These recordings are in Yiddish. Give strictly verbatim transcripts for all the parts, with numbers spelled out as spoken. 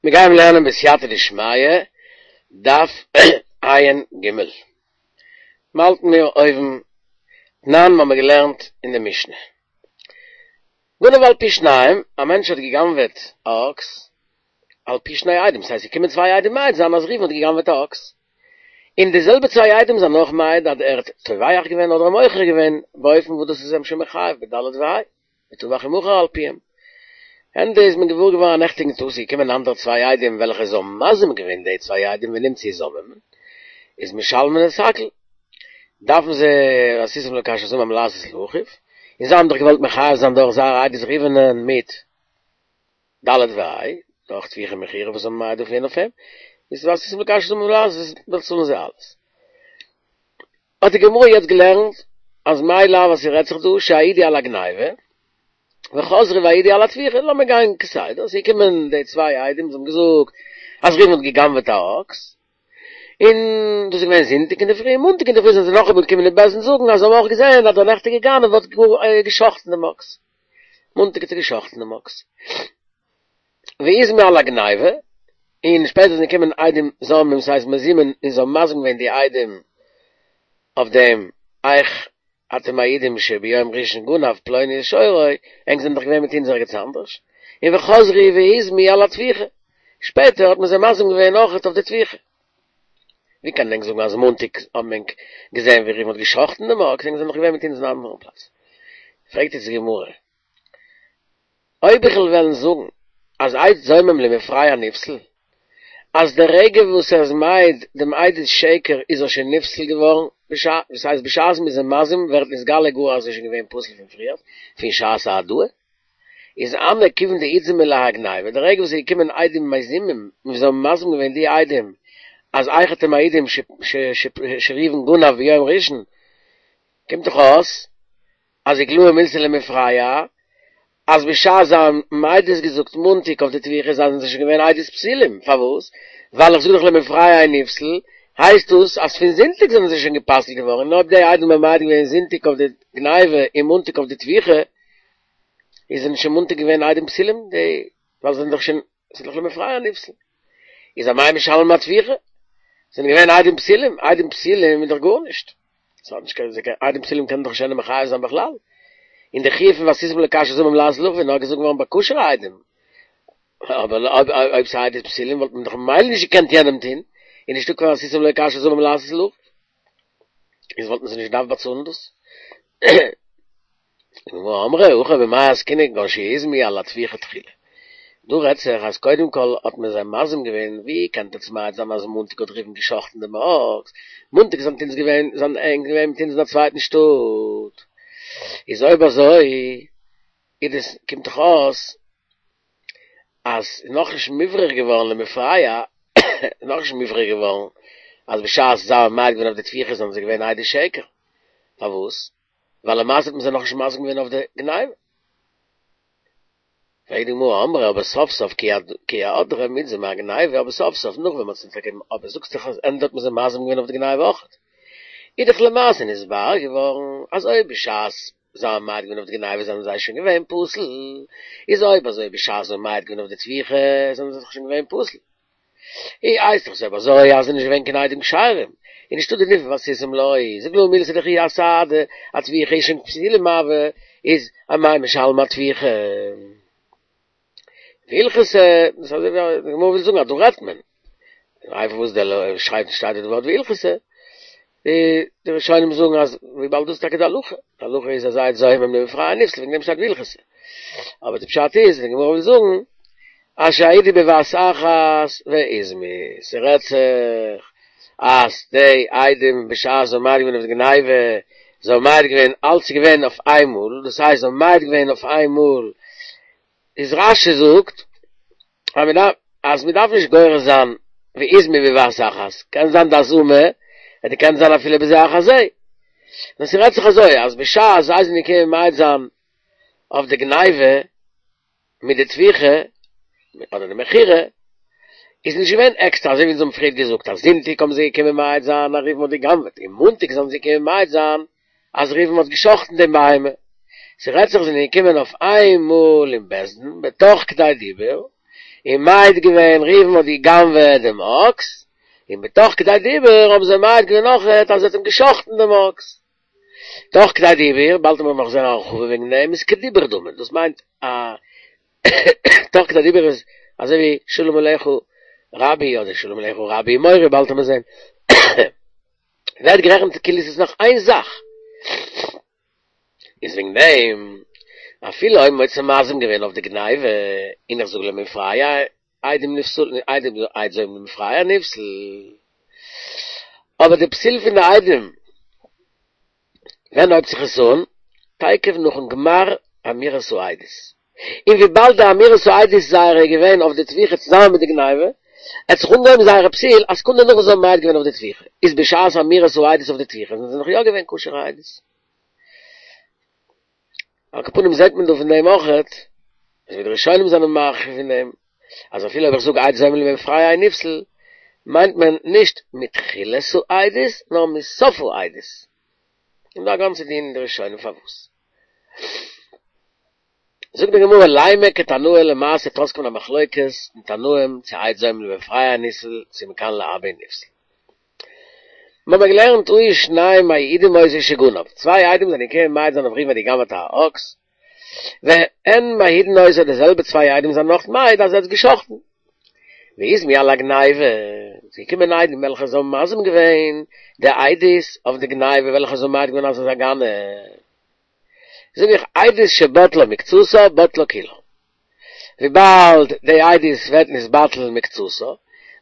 מיר גייען לערנען בסייעתא דשמיא, דף ע"ג. מ'האלטן מיר אויבן תנן מ'האמיר געלערנט אין די משנה. גנב על פי שניים, א מענטש האט גע'גנב'עט א אקס, על פי שני עדים, ס'הייסט ס'קומען צוויי עדים מעיד זיין אז ראובן האט גע'גנב'עט א אקס, און די זעלבע צוויי עדים זענען אויך מעיד אז ער האט טובח געווען אדער מוכר געווען באופן וואס דאס איז אים שוין מחייב בד' וה', וטבח ומכר על פיהם. ענדע איז מען געוואר געווארן א נעכטיגן טאג ס'איז געקומען אנדערע צוויי עדים וועלכע זיי האבן מזים געווען די צוויי עדים ונמצאו זוממין איז משלמין את הכל דארפן זיי ועשיתם לו כאשר זמם לעשות לאחיו און זיי האבן דאך געוואלט מחייב זיין דורך זייער עדות ראובנ'ען מיט ד' וה' דורך טביחה ומכירה וואס זיי האבן מעיד געווען אויף אים איז ועשיתם לו כאשר זמם לעשות באצאלן זיי אלעס. האט די גמרא יעצט געלערנט אז מאי לאו אז ס'רעדט זיך דא שהעידו על הגניבה וחזרו והעידו על הטביחה, לאמיר גיין כסדר, ס'איז געקומען די צוויי עדים, זיי האבן געזאגט אז ראובן האט גע'גנב'עט א אקס, און דאס איז געווען זונטאג אינדערפרי, מאנטאג אינדערפרי זענען זיי נאכאמאל געקומען אין בית דין זאגן אז זיי האבן אויך געזען אז דער נעכטיגער גנב האט גאר גע'שחט'ן דעם אקס, מאנטאג האט ער גע'שחט'ן דעם אקס. ואיזמי על הגניבה, און שפעטער זענען געקומען עדים זוממים, ס'הייסט מזומין, און זיי האבן מזים געווען די עדים אויף דעם, איך אתם מעידים שביום ראשון גנב פלוני את שורו, ענק זענען דאך געווען מיט אונז ערגעץ אנדערש, און וחזרו ואיזמו על הטביחה, שפעטער האט מען זיי מזים געווען אויכעט אויף די טביחה. ווי קען ענק זאגן אז מאנטאג האבן ענק געזען ווי ראובן האט גע'שחט'ן דעם אקס, ענק זענען דאך געווען מיט אונז אין אן אנדערן פלאץ. פרעגט יעצט די גמרא, אויב איך וועל וועלן זאגן אז עד זומם למפרע נפסל, אז די רגע וואס ער איז מעיד דעם עדות שקר איז ער שוין נפסל געווארן, דאס הייסט בשעת מ'איז אים מזים ווערט נתגלה גאר אז ער איז שוין געווען פסול פון פריער, פון שעת ההעדאה, איז הני כיוון דאיתזמו להאי גניבה, די רגע וואס איז געקומען עדים מזימים און זיי האבן מזים געווען די עדים אז איך אתם מעידים שראובן גנב ביום ראשון, קומט דאך אויס אז איגלאי מילתא למפרע, אז בשעת זיי האבן עדות געזאגט מאנטאג אויף די טביחה זענען זיי שוין געווען עדות פסולים, פארוואס? ווייל איך זאג דאך למפרע אינו נפסל, הייסט דאס אז פון זונטאג זענען זיי שוין גע'פסל'ט געווארן, און אויב די עדים האבן מעיד געווען זונטאג אויף די גניבה און מאנטאג אויף די טביחה, איז זענען שוין מאנטאג געווען עדים פסולים, די ווייל זיי זענען דאך שוין, ס'איז דאך למפרע נפסל. איז אמאי משלמים אטביחה? זענען געווען עדים פסולים, עדים פסולים איז דאך גארנישט. ס'האט נישט קיין זיי עדים פסולים קענען דאך נישט איינעם מחייב זיין בכלל. און די חיוב פון ועשיתם לו כאשר זמם לעשות לאחיו איז נאר געזאגט געווארן ביי כשר'ע עדים. אבער אויב אויב ס'איז עדים פסולים וואלט מען דאך ממילא נישט געקענט יענעם טון, איז נישטא קיין ועשיתם לו כאשר זמם לעשות לאחיו. איז וואלט מען זיי נישט געדארפט באצאלן דאס. גמרא אמרה הכא במאי עסקינן כגון שאיזמו על הטביחה תחילה. דא רעדט זיך אז קודם כל האט מען זיי מזים געווען, ווי קענט עטס מעיד זיין אז מאנטאג האט ראובן גע'שחט'ן דעם אקס, מאנטאג זענט אונז געווען זענט ענק געווען מיט אונז אין א צווייטן שטאט, איז אויב אזוי איז דאס קומט דאך אויס אז ס'איז נאכנישט מוברר געווארן למפרע, איז נאכנישט מוברר געווארן אז בשעת זיי האבן מעיד געווען אויף די טביחה זענען זיי געווען עדי שקר, פארוואס? ווייל למעשה האט מען זיי נאכנישט מזים געווען אויף די גניבה. פרעגט די גמרא אמרי אבער סוף סוף כי אהדרה מיתזמי אגניבה אבער סוף סוף נאך ווען מ'האט זיי טאקע אבער זאגסט דאך אז ענדע האט מען זיי מזים געווען אויף די גניבה אויכעט איז דאך למעשה נתבאר געווארן אז אויב בשעת זיי האבן מעיד געווען אויף די גניבה זענען זיי שוין געווען פסול איז אויב אזוי בשעת זיי האבן מעיד געווען אויף די טביחה זענען זיי דאך שוין געווען פסול. אי הייסט דאך אויב אזוי אז ס'איז נישט געווען קיין עדים כשרים, איז נישטא די דין פון ועשיתם לו, איז איגלאי מילתא דכי אסהדא אטביחה איז שוין פסולים הוו, איז אמאי משלמי אטביחה. והלכתא, דאס איז אזוי ווי די גמרא וויל זאגן אז דא רעדט מען, איי פארוואס דער שרייבט שטייט דא די ווארט והלכתא, די ראשונים זאגן אז וויבאלד דאס איז טאקע די הלכה, די הלכה איז אז עד זומם למפרע נפסל וועגן דעם שטייט והלכתא, אבער די פשט איז די גמרא וויל זאגן אז שהעידו בבת אחת ואיזמו, ס'רעדט זיך אז די עדים בשעת זיי האבן מעיד געווען אויף די גניבה, זיי האבן מעיד געווען אלץ איז געווען אויף איינמאל, דאס הייסט זיי האבן מעיד געווען אויף איינמאל, איז רש"י זאגט אז מען דארף אז מען דארף נישט גורס זיין ואיזמו בבת אחת, קען זיין די הזמה און קען זיין אפילו בזה אחר זה, נאר ס'רעדט זיך אזוי אז בשעת זיי זענען געקומען מעיד זיין אויף די גניבה מיט די טביחה אדער די מכירה איז נישט געווען עקסטער אזוי ווי אונז האבן פריערט געזאגט אז זונטאג האבן זיי געקומען מעיד זיין אז ראובן האט גע'גנב'עט און מאנטאג זענען זיי געקומען מעיד זיין אז ראובן האט גע'שחט'ן דעם בהמה, ס'רעדט זיך זענען געקומען אויף איין מאל אין בית דין בתוך כדי דיבור, און מעיד געווען ראובן האט גע'גנב'עט דעם אקס, און בתוך כדי דיבור האבן זיי מעיד געווען אויכעט אז ער האט אים גע'שחט'ן דעם אקס. תוך כדי דיבור, באלד וועט מען נאך זען א הרחבה וועגן דעם, איז כדיבור דמי, דאס מיינט א תוך כדי דיבור איז אזוי ווי שלום עליך רבי אדער שלום עליך רבי ומורי, באלד וועט מען זען ווערט גערעכנט כאילו עס איז נאך איין זאך. איז וועגן דעם אפילו אויב מ'האט זיי מזים געווען אויף די גניבה, און איך זאג למפרע עדים נפסל, עדים עד זומם למפרע נפסל, אבער די פסול פון די עדים ווען הויבט זיך עס אן? תיכף נאכן גמר אמירת העדות. און וויבאלד די אמירת העדות זייערע איז געווען אויף די טביחה צוזאמען מיט די גניבה, האט זיך אנגעהויבן זייערע פסול א סעקונדע נאך וואס זיי האבן מעיד געווען אויף די טביחה, איז בשעת אמירת העדות אויף די טביחה זענען זיי נאך יא געווען כשר'ע עדות. על כל פנים זעט מען דא פון דעם אויכעט, אזוי ווי די ראשונים זענען מרחיב אין דעם, אז אפילו אויב איך זאג עד זומם למפרע אינו נפסל, מיינט מען נישט מתחילת העדות נאר מסוף העדות. און דא א גאנצע דיון אין די ראשונים פארוואס. זאגט די גמרא לימא כתנאי למעשה וועט אויסקומען א מחלוקת אין תנאים צו עד זומם למפרע נפסל צו מכאן להבא נפסל. מיר האבן געלערנט היו שניים מעידים אותו שגנב, צוויי עדים זענען געקומען מעיד זיין אויף ראובן האט גע'גנב'עט א אקס, והן מעידין אותו די זעלבע צוויי עדים זענען נאך מעיד אז ער האט גע'שחט'ן. ואיזמו על הגניבה, ס'איז געקומען עדים וועלכע זיי האבן מזים געווען די עדות אויף די גניבה וועלכע זיי האבן מעיד געווען אז ער איז א גנב. זאג איך עדות שבטלה מקצתה בטלה כולה. וויבאלד די עדות ווערט נתבטל מקצתה,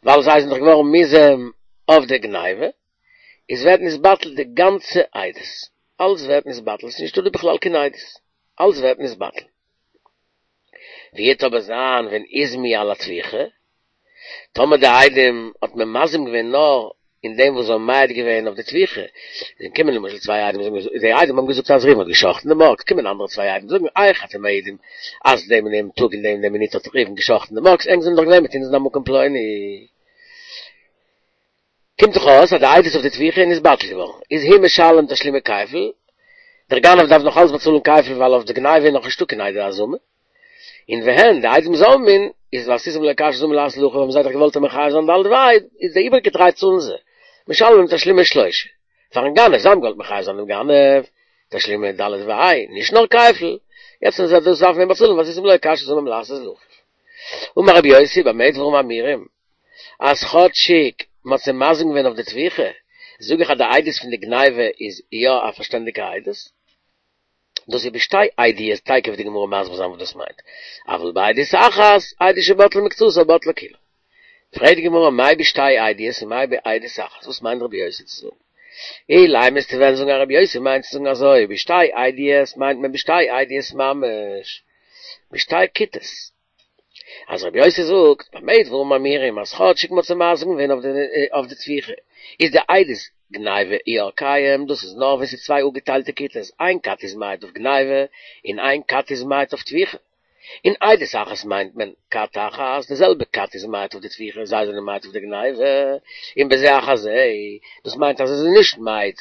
ווייל זיי זענען דאך געווארן מוזם אויף די גניבה, איז ווערט נתבטל די גאנצע עדות. אלץ ווערט נתבטל, ס'איז נישטא דא בכלל קיין עדות. אלץ ווערט נתבטל. ווי וועט אבער זיין ווען איזמו על הטביחה? טאמער די עדים האט מען מזים געווען נאר אין דעם וואס זיי האבן מעיד געווען אויף די טביחה, זענען קומען למשל צוויי עדים זאגן די עדים האבן געזאגט אז ראובן האט גע'שחט'ן דעם אקס, קומען אנדערע צוויי עדים זאגן איך אתם מעידים אז דעם און דעם טאג און דעם און דעם מינוט האט ראובן גע'שחט'ן דעם אקס, ענק זענען דאך געווען מיט אונז אין א מקום פלוני. קומט דאך אויס אז די עדות אויף די טביחה איז נתבטל געווארן, איז הוא משלם תשלומי כפל, דער גנב דארף נאך אלץ באצאלן כפל ווייל אויף די גניבה איז נאך נישטא קיין עדי הזמה. און והן, די עדים זוממין, איז ועשיתם לו כאשר זמם לעשות לאחיו האבן זיי דאך געוואלט אים מחייב זיין ד' וה', איז די איבעריגע דריי צאלן זיי, משלמים תשלומי שלושה, פארן גנב, זיי האבן געוואלט מחייב זיין דעם גנב, תשלומי ד' וה', נישט נאר כפל, יעצט ווען זיי דאס דארפן אים באצאלן ועשיתם לו כאשר זמם לעשות לאחיו. אמר רבי יוסי, במה דברים אמורים, אז כאטשיג מ'האט זיי מזים געווען אויף די טביחה, זאג איך אז די עדות פון די גניבה איז יא א פארשטענדיגע עדות. דאס איז בשתי עדיות, תיכף וועט די גמרא מסביר זיין וואס דאס מיינט, אבל בעדות אחת, עדות שבטלה מקצתה בטלה כולה. פרעגט די גמרא מאי בשתי עדיות און מאי בעדות אחת, וואס מיינט רבי יוסי צו זאגן? אילימא וועסטו וועלן זאגן אז רבי יוסי מיינט צו זאגן אזוי, בשתי עדיות מיינט מען בשתי עדיות ממש, בשתי כיתות. אז רבי יוסי זאגט, במה דברים אמורים, אז כאטשיג מ'האט זיי מזים געווען אויף די טביחה, איז די עדות גניבה יא קיים, דאס איז נאר ווען ס'איז צוויי אפגעטיילטע כיתות, איין כת איז מעיד אויף גניבה, און איין כת איז מעיד אויף טביחה. און עדות אחת מיינט מען כת אחת, די זעלבע כת איז מעיד אויף די טביחה, זיי זענען מעיד אויף די גניבה, און בזה אחר זה, דאס מיינט אז זיי זענען נישט מעיד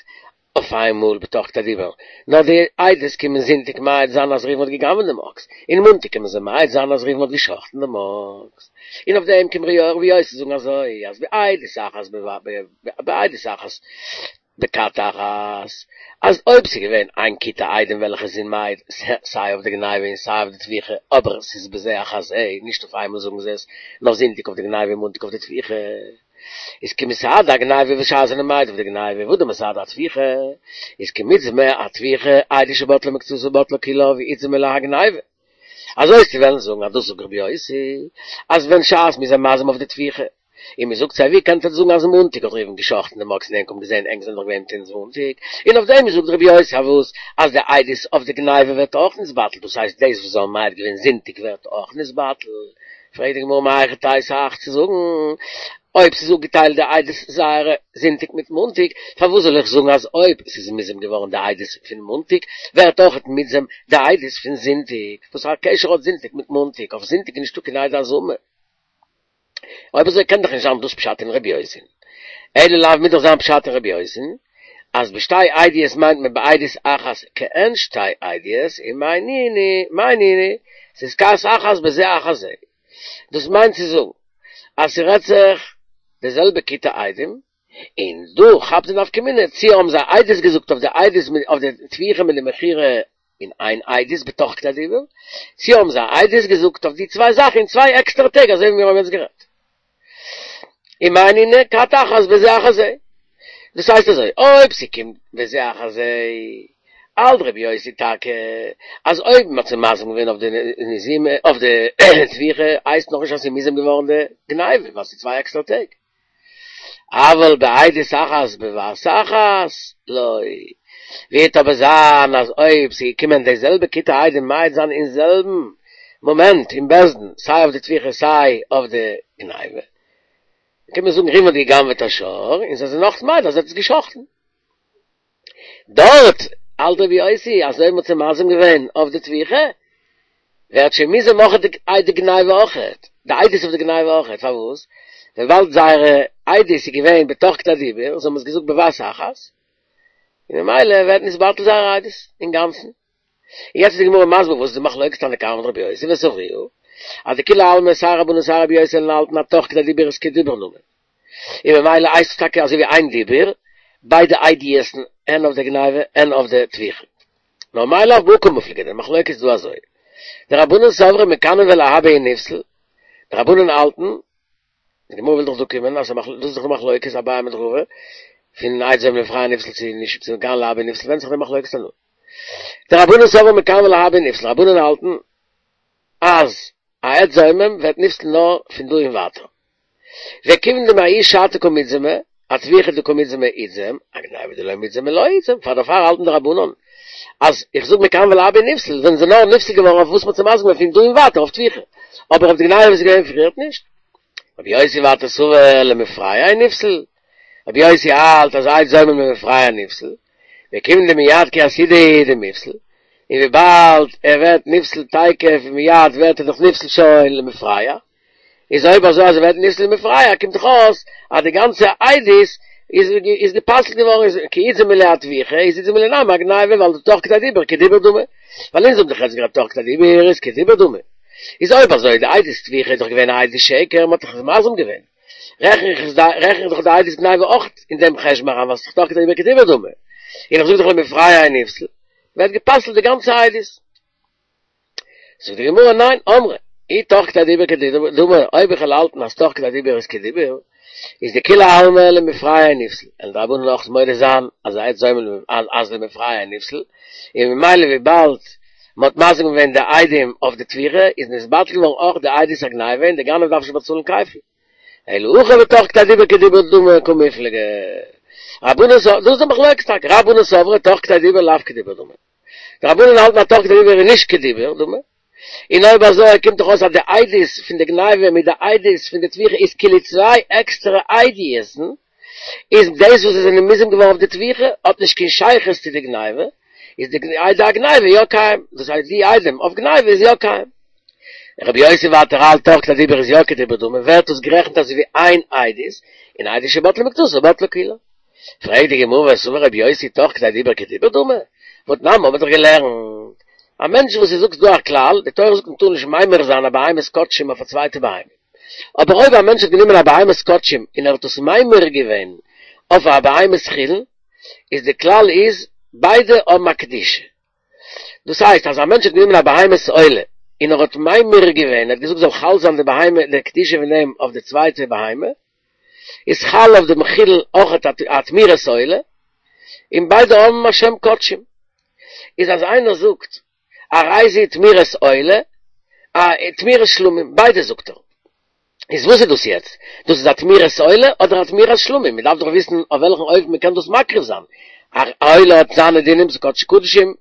אויף איינמאל בתוך כדי דיבור, נאר די עדות קומען זונטאג מעיד זיין אז ראובן האט גע'גנב'ט דעם אקס, און מאנטאג קומען זיי מעיד זיין אז ראובן האט גע'שחט'ן דעם אקס, און אויף דעם קומט ר' יוסי זאגן אזוי אז בעדות אחת בעדות אחת בכת אחת, אז אויב ס'איז געווען איין כיתה עדים וועלכע זענען מעיד סיי אויף די גניבה און סיי אויף די טביחה, אבער ס'איז בזה אחר זה, נישט אויף איינמאל זאגן זיי עס, נאר זונטאג אויף די גניבה און מאנטאג אויף די טביחה. איז כמסהדי אגניבה בשעת זענען מעיד אויף די גניבה והא דמסהדי אטביחה, איז כמיתזמא אטביחה עדות שבטלה מקצתה בטלה כולה ואיתזמא להגניבה. אזוי וועסטו וועלן זאגן אז דאס זאגט רבי יוסי אז ווען שעת מ'איז זיי מזים אויף די טביחה און מ'זאגט זיי ווי קענט עטץ זאגן אז מאנטאג האט ראובן גע'שחט'ן דעם אקס און ענק האבן געזען ענק זענען דאך געווען מיט אונז מאנטאג און אויף דעם זאגט רבי יוסי אז וואס אז די עדות אויף די גניבה ווערט אויך נתבטל דאס הייסט דאס וואס זיי האבן מעיד געווען זונטאג ווערט אויך נתבטל פרעגט די גמרא מהיכי תיתי אייך צו זאגן, אויב ס'איז אפגעטיילט די עדות זייערע זונטאג מיט מאנטאג, פארוואס זאל איך זאגן אז אויב ס'איז מוזם געווארן די עדות פון מאנטאג, ווערט אויכעט מוזם די עדות פון זונטאג? וואס א קשר האט זונטאג מיט מאנטאג? אויף זונטאג איז נישטא קיין עדי הזמה. אויב אזוי קען דאך נישט זיין דאס פשט אין רבי יוסי'ן. אלא לאו מוז דאך זיין פשט אין רבי יוסי'ן אז בשתי עדיות מיינט מען בעדות אחת כעין שתי עדיות, און מאי ניהו, מאי ניהו, ס'איז כת אחת בזה אחר זה. דאס מיינט צו זאגן אז ס'רעדט זיך די זעלבע כיתה עדים, און דא כאפט די נפקא מינה צי האבן זיי עדות געזאגט אויף די עדות אויף די טביחה מיט די מכירה אין איין עדות בתוך כדי דיבור, צי האבן זיי עדות געזאגט אויף די צוויי זאכן אין צוויי עקסטערע טעג אזוי ווי מיר האבן יעצט גערעדט. ומאי נינהו כת אחת בזה אחר זה. דאס הייסט אזוי, אויב ס'קומט בזה אחר זה, האלט רבי יוסי טאקע אז אויב מ'האט זיי מזים געווען אויף די מזימה אויף די טביחה הייסט נאכנישט אז ס'איז מוזם געווארן די גניבה ווייל ס'איז צוויי עקסטערע טעג. אבל בעדות אחת בבת אחת לא. וועט אבער זיין אז אויב ס'איז געקומען די זעלבע כיתה עדים מעיד זיין אין זעלבן מאמענט אין בית דין סיי אויף די טביחה סיי אויף די גניבה, קען מען זאגן ראובן האט גע'גנב'עט א שור און זיי זענען נאך מעיד אז ער האט עס גע'שחט'ן. דארט האלט רבי יוסי אז אויב מ'האט זיי מזים געווען אויף די טביחה ווערט שוין מוזם אויך די גניבה אויכעט, די עדות אויף די גניבה אויכעט, פארוואס? וויבאלד זייערע עדות איז געווען בתוך כדי דיבור, זיי האבן עס געזאגט בבת אחת, און ממילא ווערט נתבטל זייער עדות אינגאנצן. און יעצט איז די גמרא מסביר וואס איז די מחלוקת תנא קמא מיט רבי יוסי וסברוה, אז דכולי עלמא סיי רבנן סיי רבי יוסי האלטן אז תוך כדי דיבור איז כדיבור דמי, און ממילא הייסט עס טאקע אזוי ווי איין דיבור, ביידע עדות'ן הן אויף די גניבה הן אויף די טביחה. נאר מאי לאו בהא קמיפלגי, די מחלוקת איז דא אזוי, דרבנן סברי מכאן ולהבא הוא נפסל, די רבנן האלטן, די גמרא וויל דאך דא קומען אז דאס איז דאך די מחלוקת אביי מיט רבא, פון עד זומם למפרע נפסל צו נישט צו מכאן ולהבא הוא נפסל ווענדט זיך די מחלוקת תנאים. דרבנן סברי מכאן ולהבא הוא נפסל, רבנן האלטן אז א עד זומם ווערט נפסל נאר פון דא און ווייטער. וכיוון דמההיא שעתא קא מיתזמי, אטביחה דקא מיתזמי איתזם, אגניבה דלא מיתזמי לא איתזם, פאר דערפאר האלטן די רבנן אז איך זאג מכאן ולהבא נפסל, זענען זיי נאר נפסל געווארן אויף וואס מ'האט זיי מזים געווען פון דא און ווייטער אויף טביחה, אבער אויף די גניבה וואס איז געווען פריערט נישט. רבי יוסי ווייטער סבר למפרע הוא נפסל, רבי יוסי האלט אז עד זומם למפרע נפסל, וכיוון דמיד כי אסהידו הוא דמיפסל, און וויבאלד ער ווערט נפסל תיכף ומיד ווערט ער דאך נפסל שוין למפרע, איז אויב אזוי אז ער ווערט נפסל למפרע קומט דאך אויס אז די גאנצע עדות איז איז גע'פסל'ט געווארן איז כי איתזם ליה אטביחה איז איתזם ליה נמי אגניבה ווייל די תוך כדי דיבור כדיבור דמי ווייל אונז האבן דאך יעצט גערעדט תוך כדי דיבור איז כדיבור דמי איז אויב אזוי די עדות טביחה איז דאך געווען א עדות שקר מ'האט דאך עס מזים געווען רעכן איך עס רעכן איך דאך די עדות גניבה אויך אין דעם חשבון אריין ווייל ס'איז דאך תוך כדי דיבור כדיבור דמי און איך זאג דאך למפרע הוא נפסל ווערט גע'פסל'ט די גאנצע עדות. זאגט די גמרא ניין, אמרי, אי תוך כדי דיבור כדיבור דמי, אויב איך וועל האלטן אז תוך כדי דיבור איז כדיבור, איז דכולי עלמא למפרע הוא נפסל, וועלן די רבנן אויך מודה זיין אז עד זומם אז למפרע הוא נפסל, און ממילא וויבאלד מען האט מזים געווען די עדים אויף די טביחה איז נתבטל געווארן אויך די עדות הגניבה און די גנב דארף נישט באצאלן כפל. אלא הכא בתוך כדי דיבור כדיבור דמי קמיפלגי. רבנן סב, דאס איז די מחלוקת טאקע, רבנן סברי תוך כדי דיבור לאו כדיבור דמי. די רבנן האלטן אז תוך כדי דיבור איז נישט כדיבור דמי, און אויב אזוי קומט דאך אויס אז די עדות פון די גניבה מיט די עדות פון די טביחה איז כאילו צוויי עקסטערע עדות'ן, איז דאס וואס זיי זענען מוזם געווארן אויף די טביחה האט נישט קיין שייכות צו די גניבה, איז די עדות הגניבה יא קיים, דאס הייסט די עדים אויף גניבה איז יא קיים. רבי יוסי ווייטער האלט תוך כדי דיבור איז יא כדיבור דמי, ווערט דאס גערעכנט אזוי ווי איין עדות, און עדות שבטלה מקצתה בטלה כולה. פרעגט די גמרא וסבר רבי יוסי תוך כדי דיבור כדיבור דמי, והתנן האבן מיר דאך געלערנט, א מענטש וואס ס'זאגט ס'דא א כלל, די תורה זאגט מ'טאר נישט ממיר זיין א בהמת קדשים אויף א צווייטע בהמה, אבער אויב א מענטש האט גענומען א בהמת קדשים און ער האט עס ממיר געווען אויף א בהמת חולין, איז די כלל איז ביידע האבן א קדושה. דאס הייסט אז א מענטש האט גענומען א בהמת עולה און ער האט ממיר געווען, ער האט געזאגט זאל חל זיין די בהמה די קדושה פון דעם אויף די צווייטע בהמה, איז חל אויף דעם חולין אויך א תמורת עולה, און ביידע האבן א שם קדשים. איז אז איינער זאגט הרי זו תמורת עולה, א תמורת שלמים, ביידע זאגט ער. איז וואס איז דאס יעצט? דאס איז א תמורת עולה אדער א תמורת שלמים? מען דארף דאך וויסן אויף וועלכן אופן מען קען דאס מקריב זיין. א עולה האט זיינע דינים, ס'איז קדשי קדשים,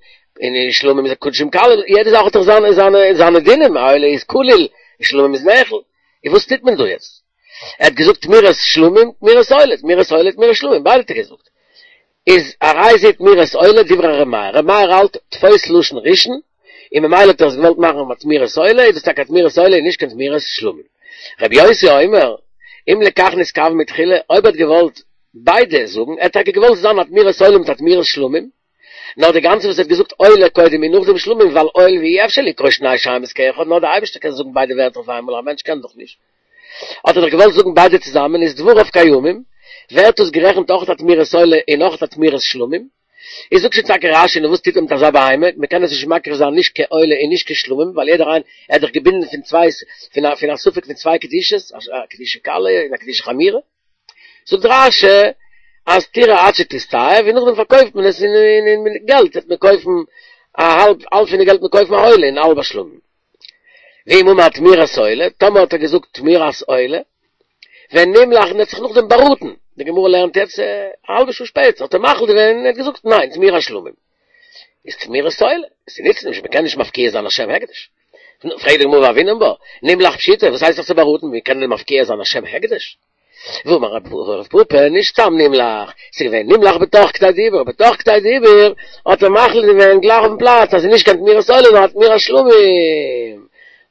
און שלמים איז קדשים קלים, יעדע זאך האט דאך זיינע זיינע זיינע דינים, א עולה איז כליל, און שלמים איז נאכל. איז וואס טוט מען דא יעצט? ער האט געזאגט תמורת שלמים, תמורת עולה, תמורת עולה, תמורת שלמים, ביידע האט ער געזאגט. איז הרי זו תמורת עולה דברי ר' מאיר, ר' מאיר האלט תפוס לשון ראשון, און ממילא האט ער עס געוואלט מאכן א תמורת עולה, איז דאס טאקע א תמורת עולה און נישט קיין תמורת שלמים. ר' יוסי אומר, אם לכך נתכוון מתחילה, אויב ער האט געוואלט ביידע זאגן, ער האט טאקע געוואלט זיין א תמורת עולה מיט א תמורת שלמים, נאר די גאנצע וואס ער האט געזאגט עולה קודם און נאכדעם שלמים ווייל הואיל ואי אפשר לקרוא שני שמות כאחד נאר די אייבערשטער קען זאגן ביידע ווערטער אויף איינמאל א מענטש קען דאך נישט האט ער דאך געוואלט זאגן ביידע צוזאמען איז דבריו קיימים ווערט דאס גערעכנט אויך א תמורת עולה און אויך א תמורת שלמים איז זאגט שוין טאקע רשי נו וואס טוט מען מיט אזא בהמה מען קען עס נישט מקריב זיין נישט כעולה און נישט כשלמים ווייל יעדער איין ער איז דאך געבינדן פון צוויי פון א פון א ספק פון צוויי קדושות א קדושה קלה און א קדושה חמורה זאגט רשי אז תרעה עד שתסתאב און נאכדעם פארקויפט מען עס און מיט געלט וועט מען קויפן א האלב האלב פון די געלט מען קויפן א עולה און האלב א שלמים. ואם אמר תמורת עולה, טאמער האט ער געזאגט תמורת עולה, ונמלך און ער האט זיך נאכדעם באראטן, די גמרא לערנט יעצט א האלבע שעה שפעטער האט ער מחליט געווען און ער האט געזאגט ניין תמורת שלמים איז תמורת עולה, ס'נוצט נישט, מ'קען נישט מפקיע זיין א שם הקדש. פרעגט די גמרא והוינן בה, נמלך פשיטא, וואס הייסט זיך צו באראטן, ווי קען מען מפקיע זיין א שם הקדש? ואמר רב פפא, נישט סתם נמלך, ס'איז געווען נמלך בתוך כדי דיבור, בתוך כדי דיבור האט ער מחליט געווען גלייך אויפן פלאץ אז ס'איז נישט קיין תמורת עולה נאר א תמורת שלמים.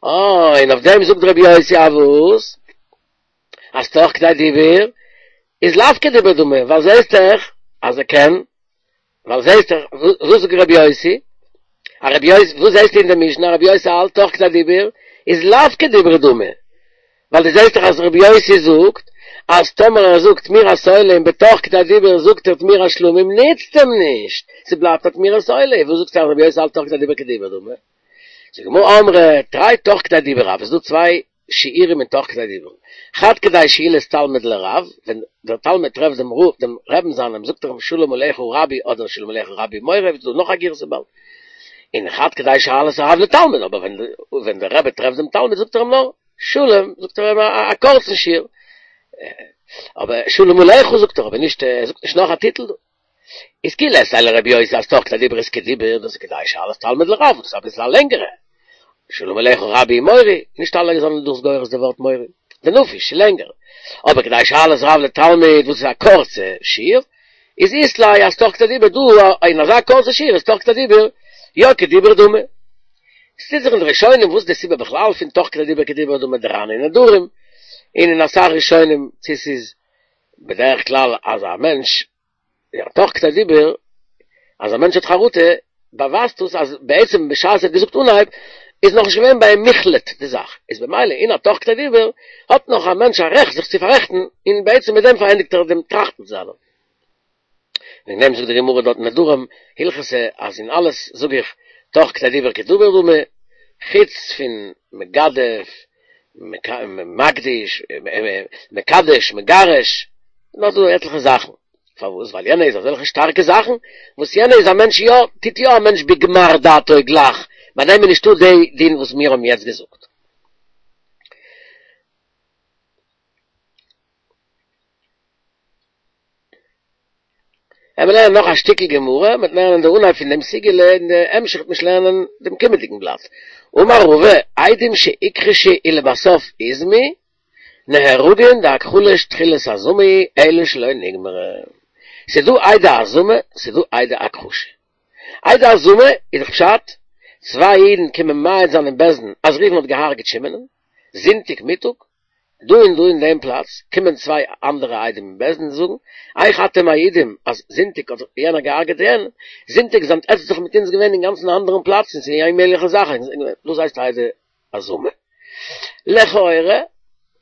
אה, און אויף דעם זאגט רבי יוסי אז וואס? אז תוך כדי דיבור איז לאו כדיבור דמי, ווייל זעהסט דאך אז ער קען ווייל זעהסט דאך, וואס זאגט רבי יוסי? א רבי יוסי, וואס זעהסטו אין די משנה? רבי יוסי האלט תוך כדי דיבור איז לאו כדיבור דמי. ווייל דו זעהסט דאך אז רבי יוסי זאגט אז טאמער ער זאגט תמורת עולה און בתוך כדי דיבור זאגט ער תמורת שלמים נוצט אים נישט, ס'בלייבט א תמורת עולה, וואס זאגסטו אז רבי יוסי האלט תוך כדי דיבור כדיבור דמי? זאגט די גמרא אמרי תרי תוך כדי דיבור הוו, ס'איז דא צוויי שיעורים אין תוך כדי דיבור. חד כדי שאילת תלמיד לרב, ווען דער תלמיד טרעפט דעם רב, דעם רעבן זיינעם, זאגט ער אים שלום עליך רבי אדער שלום עליך רבי מורי, ווי ס'איז דא נאך א גירסא באלד. און חד כדי שאלת הרב לתלמיד, אבער ווען ווען דער רבי טרעפט דעם תלמיד זאגט ער אים נאר שלום, זאגט ער אים א קורצן שיעור. אבער שלום עליך זאגט ער, אבער נישט, ער זאגט נישט נאך א טיטל דא. איז כי לית ליה לרבי יוסי אז תוך כדי דיבור איז כדיבור, דאס איז כדי שאלת תלמיד לרב, דאס איז אביסל א לענגערע. שלום עליך רבי מורי, נישט אלע זענען דאס גורס די ווארט מורי, דנפיש, לענגער. אבער כדי שאלת רב לתלמיד וואס איז א קורצע שיעור, איז אית ליה אז תוך כדי דיבור דא אין אזא קורצע שיעור איז תוך כדי דיבור יא כדיבור דמי. עס טוט זיך אין די ראשונים וואס איז די סיבה בכלל פון תוך כדי דיבור כדיבור דמי די ר"ן אין נדרים, און אין אסאך ראשונים צו ס'איז בדרך כלל אז א מענטש יא, תוך כדי דיבור, אז א מענטש האט חרטה, באווייזט דאס אז בעצם בשעת ער האט געזאגט אנהייב, איז נאכנישט געווען ביי אים מוחלט די זאך, איז במילא אין א תוך כדי דיבור האט נאך א מענטש א רעכט זיך צו פאררעכטן, און בעצם מיט דעם פארענדיגט ער דעם טראכטן זיינעם. וועגן דעם זאגט די גמרא דארט אין נדרים, הלכתא, אז אין אלעס זאג איך תוך כדי דיבור כדיבור דמי, חוץ פון מגדף, מקדיש, מקדש, מגרש, נאך דא עטליכע זאכן. פארוואס? ווייל יענע איז אזעלכע שטארקע זאכן, וואס יענע איז א מענטש יא, טוט יא א מענטש בגמר דעתו גלייך, ביי דעם איז נישטא די דין וואס מיר האבן יעצט געזאגט. עמער לערנען נאך א שטיקל גמרא, מ'וועט לערנען די אנהייב פון דעם סוגי'לע און די המשך וועט מען שוין לערנען דעם קומענדיגן בלאט. אמר רבא, עדים שהוכחשו ולבסוף הוזמו, נהרגין דהכחשה תחילת הזמה היא אלא שלא נגמרה. ס'איז דא עדי הזמה, ס'איז דא עדי הכחשה. עדי הזמה איז דאך פשט, צוויי אידן קומען מעיד זיין אין בית דין אז ראובן האט געהארגעט שמעונ'ן, זונטאג מיטאג, דא און דא אין דעם פלאץ, קומען צוויי אנדערע עדים אין בית דין און זאגן, איך אתם מעידים אז זונטאג האט יענער געהארגעט יענעם, זונטאג זענט עטץ דאך מיט אונז געווען אינגאנצן א אנדערן פלאץ און ס'איז א אוממעגליכע זאך, דאס הייסט עדי הזמה. לכאורה,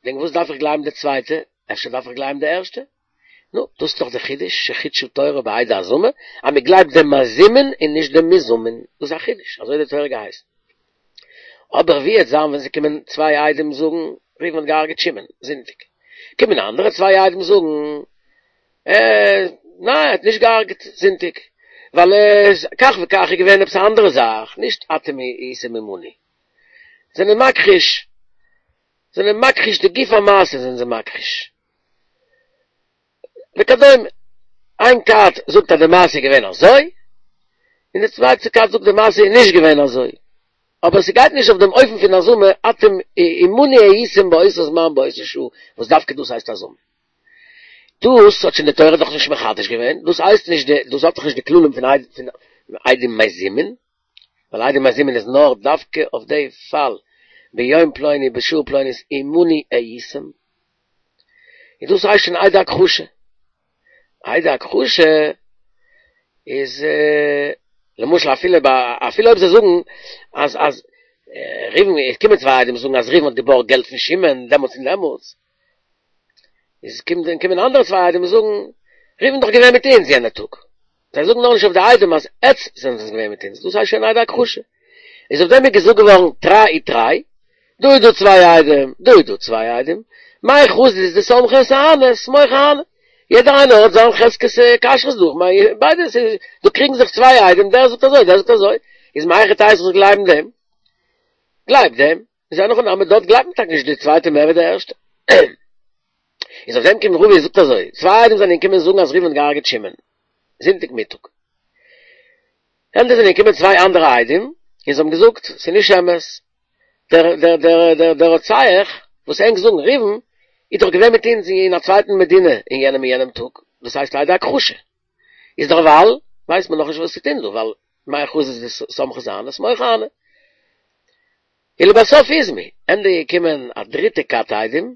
וועגן וואס דארף איך גלייבן די צווייטע? אפשר דארף איך גלייבן די ערשטע? נו, דאס איז דאך די חידוש שחידשה תורה בעדי הזמה, אז מען גלייבט דעם מזומן און נישט דעם מוזמן, דאס איז א חידוש, אזוי האט די תורה געהייסן. אבער ווי עט זיין ווען ס'קומען צוויי עדים זאגן, ראובן האט געהארגעט שמעון, זונטאג. קומען אנדערע צוויי עדים זאגן, אה, ניין ער האט נישט געהארגעט זונטאג, ווייל כך וכך איז געווען עפעס א אנדערע זאך, נישט אתם הייתם עמנו. זענען מכחיש, זענען מכחיש די גוף המעשה זענען זיי מכחיש. וכדומה. איין כת זאגט אז די מעשה איז געווען אזוי, און די צווייטע כת זאגט די מעשה איז נישט געווען אזוי. אבער ס'גייט נישט אויף דעם אופן פון הזמה, אתם עמנו הייתם באותו זמן באותה שעה, וואס דווקא דאס הייסט הזמה. דאס האט שוין די תורה דאך נישט מחדש געווען, דאס הייסט נישט די, דאס האט דאך נישט די כללים פון עדים מזומין. ווייל עדים מזומין איז נאר דווקא אויף די פאל ביום פלוני בשעה פלונית עמנו הייתם, און דאס הייסט שוין עדי הכחשה, עדי הכחשה איז למשל אפילו אפילו אויב זיי זאגן אז אז ראובן, עס קומען צוויי עדים זאגן אז ראובן האט געבארגט געלט פון שמעון דעמאלטס און דעמאלטס, איז קומט קומען אנדערע צוויי עדים זאגן ראובן איז דאך געווען מיט אונז יענע טאג, זיי זאגן נאכנישט אויף די עדים אז עטץ זענטס געווען מיט אונז, דאס הייסט שוין עדי הכחשה. איז אויף דעם איז געזאגט געווארן תרי ותרי, דא איז דא צוויי עדים, דא איז דא צוויי עדים, מאי חזית דסמכת אהני סמוך אהני, יעדער איינער האט זיין חזקת כשרות דא, כ'מיין ביידע ס'איז דא קריגן זיך צוויי עדים דער זאגט אזוי דער זאגט אזוי, איז מהיכי תיתי איך זאל גלייבן דעם? גלייב דעם, איז אין הכי נמי דארט גלייבט מען טאקע נישט די צווייטע מער ווי די ערשטע. איז אויף דעם קומט רבא און זאגט אזוי, צוויי עדים זענען געקומען זאגן אז ראובן האט געהארגעט שמעון זונטאג מיטאג, ענדע זענען געקומען צוויי אנדערע עדים און זיי האבן געזאגט ס'איז נישט אמת, דער דער דער דער דער רוצח וואס ענק זאגן ראובן איז דאך געווען מיט אונז אין א צווייטן מדינה אין יענעם און יענעם טאג, דאס הייסט לעדי הכחשה, איז דערווייל ווייסט מען נאכנישט וואס צו טון דא ווייל מאי חזית דסמכת אהני סמוך אהני. ולבסוף איזמו, ענדע איז געקומען א דריטע כת עדים,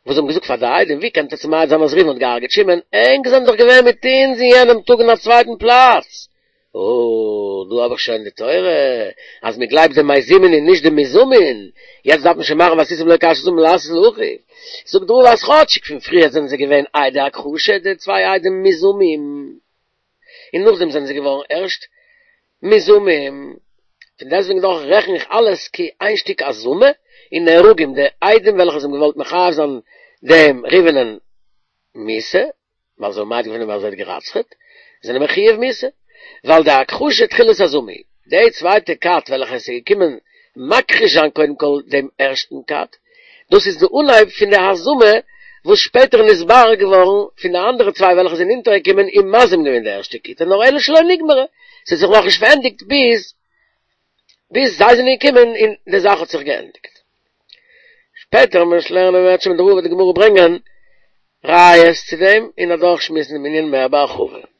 וואס האבן געזאגט פאר די עדים, ווי קענט עטץ מעיד זיין אז ראובן האט געהארגעט שמעון, ענק זענען דאך געווען מיט אונז אין יענעם טאג אין א צווייטן פלאץ. אה, דא האב איך שוין די תורה, אז מען גלייבט די מזימין און נישט די מוזמין, יעצט דארף מען שוין מאכן ועשיתם לו כאשר זמם לעשות לאחיו. זאגט רבא אז כאטשיג פון פריער זענען זיי געווען עדי הכחשה, די צוויי עדים מוזמים, און נאכדעם זענען זיי געווארן ערשט מוזמים, פון דעסטוועגן דאך רעכן איך אלעס כאיין שטיק הזמה, און נהרגים די עדים וועלכע זיי האבן געוואלט מחייב זיין דעם ראובנ'ען מיתה, ווייל זיי האבן מעיד געווען אז ער האט גערצח'עט, זענען מחויב מיתה, ווייל די הכחשה תחילת הזמה היא, די צווייטע כת וועלכע עס איז געקומען מכחיש זיין קודם כל דעם ערשטן כת, דאס איז די אנהייב פון די הזמה וואס שפעטער נתברר געווארן פון די אנדערע צוויי וועלכע זענען אונטערגעקומען און מזים געווען די ערשטע כיתה נאר אלא שלא נגמרה, ס'האט זיך נאכנישט פארענדיגט ביז ביז זיי זענען געקומען און די זאך האט זיך געענדיגט. שפעטער ווען מ'וועט לערנען אם ירצה השם מיט די וועט די גמרא ברענגען ראיות צו דעם און אדורכשמועסן דעם ענין מער בהרחבה.